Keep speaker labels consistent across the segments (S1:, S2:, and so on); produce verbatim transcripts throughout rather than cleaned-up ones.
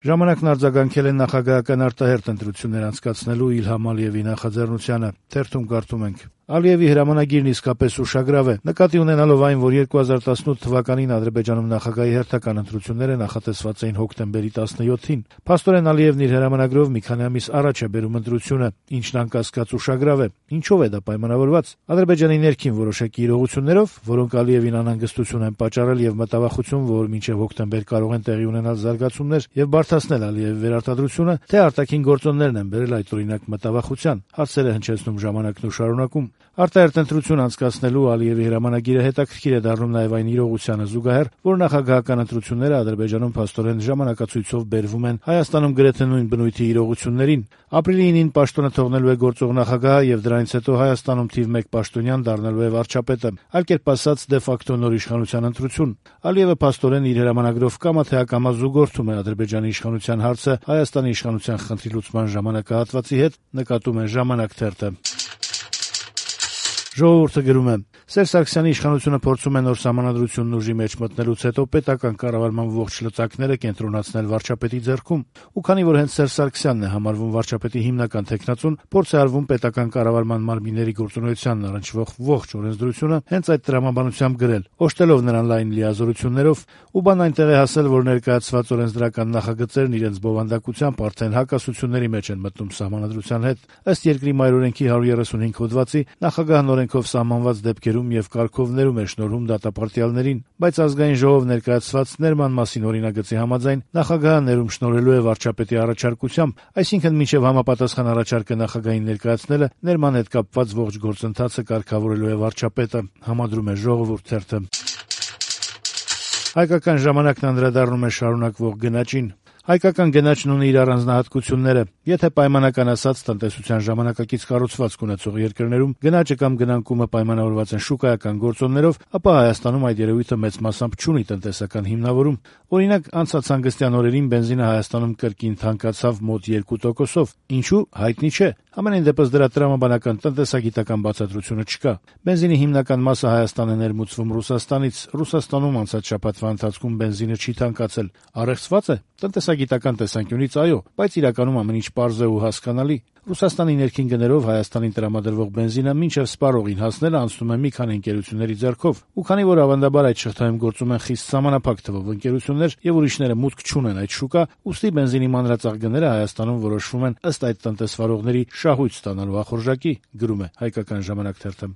S1: Ժամանակն արձագանքել է նախագահական արտահերթ ընտրություններ անցկացնելու Իլհամ Ալիևի նախաձեռնությանը։ Թերթում կարդում ենք. Ալիևի հրամանագիրն իսկապես ուշագրավ է, նկատի ունենալով այն, որ երկու հազար տասնութ թվականին Ադրբեջանում նախագահի հերթական ընտրությունները նախատեսված էին հոկտեմբերի տասնյոթին։ Փաստորեն Ալիևն իր հրամանագրով մի քանի ամիս առաջ է բերում ընտրությունը, ինչն անկասկած ուշագրավ է։ Ինչով է դա պայմանավորված։ Ադրբեջանի ներքին որոշակի իրողություններով, որոնք Ալիևին անհանգստություն են պատճառել եւ մտավախություն, որ մինչեւ հոկտեմբեր կարող են տեղի ունենալ զարգացումներ եւ բարդացնել Ալիևի վերարտադրությունը, թե արտաքին գործոններն են բերել այդ օրինակ մտավախության։ Հարցերը հնչեցնում ժամանակն ու շարունակում։ Արտահերթ ընտրություն անցկացնելու Ալիևի հրամանագիրը հետաքրքիր է դառնում նաև այն իրողությանը զուգահեռ, որ նախագահական ընտրությունները Ադրբեջանում փաստորեն ժամանակացույցով բերվում են Հայաստանում գրեթե նույն բնույթի իրողություններին։ Ապրիլի ինին պաշտոնը թողնելու է գործող նախագահը եւ դրանից հետո Հայաստանում թիվ մեկ պաշտոնյան դառնալու է վարչապետը, այլ կերպ ասած դե ֆակտո նոր իշխանության ընտրություն։ Ալիևը փաստորեն իր հրամանագրով կամա թե ակամա զուգորդում է Ադրբեջանի իշխանության հարցը Հայաստանի իշխանության խնդրի լուծման ժամանակահատվածի հետ, նկատում է «Ժամանակ» թերթը։ Ժողովուրդը գրում է. Սերժ Սարգսյանի իշխանությունը փորձում է նոր սահմանադրությունն ուժի մեջ մտնելուց հետո պետական կառավարման ողջ լծակները կենտրոնացնել վարչապետի ձեռքում, ու քանի որ հենց Սերժ Սարգսյանն է համարվում վարչապետի հիմնական թեկնածուն, փորձ է արվում պետական կառավարման մարմինների գործունեությանն առնչվող ողջ օրենսդրությունը հենց այդ տրամաբանությամբ գրել, օժտելով նրան լայն լիազորություններով, ու բան այնտեղ է հասել, որ ներկայացված օրենսդրական նախագծերն իրենց բովանդակությամբ արդեն հակասությունների մեջ են մտնում սահմանադրության հետ։ Ըստ երկրի մայրօրենքի հարյուր երեսունհինգ հոդվածի նախագահն օրենքով սահմանված դեպքերում եւ կարգովներում է շնորհում դատապարտյալներին, բայց ազգային ժողով ներկայացված ներման մասին օրինագծի համաձայն նախագահը ներում շնորհելու է վարչապետի առաջարկությամբ, այսինքն մինչեւ համապատասխան առաջարկը նախագահին ներկայացնելը ներման հետ կապված ողջ գործընթացը կարգավորելու է վարչապետը, համադրում է «Ժողովուրդ» թերթը։ Հայկական ժամանակն անդրադառնում է շարունակվող գնաճին։ Հայկական գնաճն ունի իր առանձնահատկությունները։ Եթե պայմանական ասած տնտեսության ժամանակակից կառուցվածք ունեցող երկրներում գնաճը կամ գնանկումը պայմանավորված են շուկայական գործոններով, ապա Հայաստանում այդ երևույթը մեծ մասամբ չունի տնտեսական հիմնավորում։ Օրինակ, անցած հանգստյան օրերին բենզինը Հայաստանում կրկին թանկացավ մոտ երկու տոկոսով։ Ինչու՞, հայտնի չէ։ Համենայն դեպս դրա տրամաբանական տնտեսագիտական բացատրությունը չկա։ Բենզինի հիմնական մասը Հայաստան է ներմուծվում Ռուսաստանից։ Ռուսաստանում անցած շաբաթվա ընթացքում բենզինը չի թանկացել։ Առեղծված է։ Տնտեսագիտական տեսանկյունից այո, բայց իրականում ամեն ինչ պարզ է ու հասկանալի։ Ռուսաստանի ներքին գներով Հայաստանին տրամադրվող բենզինը մինչև սպառողին հասնելը անցնում է մի քանի ընկերությունների ձեռքով, ու քանի որ ավանդաբար այդ շղթայում գործում են խիստ սահմանափակ թվով ընկերություններ եւ ուրիշները մուտք չունեն այդ շուկա, ուստի բենզինի մանրածախ գները Հայաստանում որոշվում են ըստ այդ տնտեսվարողների շահույթ ստանալու ախորժակի, գրում է Հայկական ժամանակ թերթը։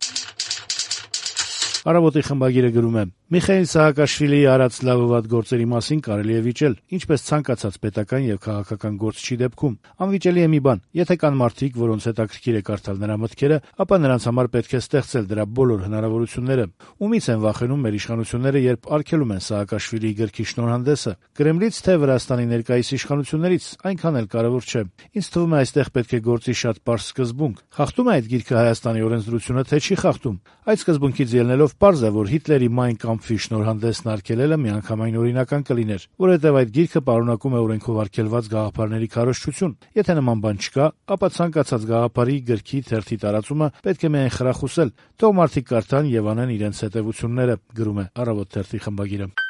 S1: Առավոտի խմբագիրը գրում է. Միխայիլ Սահակաշվիլիի արած լավ ու վատ գործերի մասին կարելի է վիճել, ինչպես ցանկացած պետական եւ քաղաքական գործչի դեպքում։ Անվիճելի է մի բան. եթե կան մարդիկ, որոնց հետաքրքիր է կարդալ նրա մտքերը, ապա նրանց համար պետք է ստեղծել դրա բոլոր հնարավորությունները։ Ումից են վախենում մեր իշխանությունները, երբ արգելում են Սահակաշվիլիի գրքի շնորհանդեսը։ Կրեմլից թե Վրաստանի ներկայիս իշխանություններից, այնքան էլ կարևոր չէ։ Ինձ թվում է այստեղ պետք է գործի շատ պարզ սկզբունք։ Խախտում է այդ գիրքը Հայաստանի օրենսդրությունը, թե չի խախտում։ Այդ սկզբունքից ելնելով պարզ է, որ Հիտլերի Մայն Կամփի շնորհանդեսն արգելելը միանգամայն օրինական կլիներ, որովհետև այդ գիրքը պարունակում է օրենքով արգելված գաղափարների քարոզչություն։ Եթե նման բան չկա, ապա ցանկացած գաղափարի, գրքի, թերթի տարածումը պետք է միայն խրախուսել, թող մարդիկ կարդան եւ անեն իրենց հետեւությունները, գրում է Առավոտ թերթի խմբագիրը։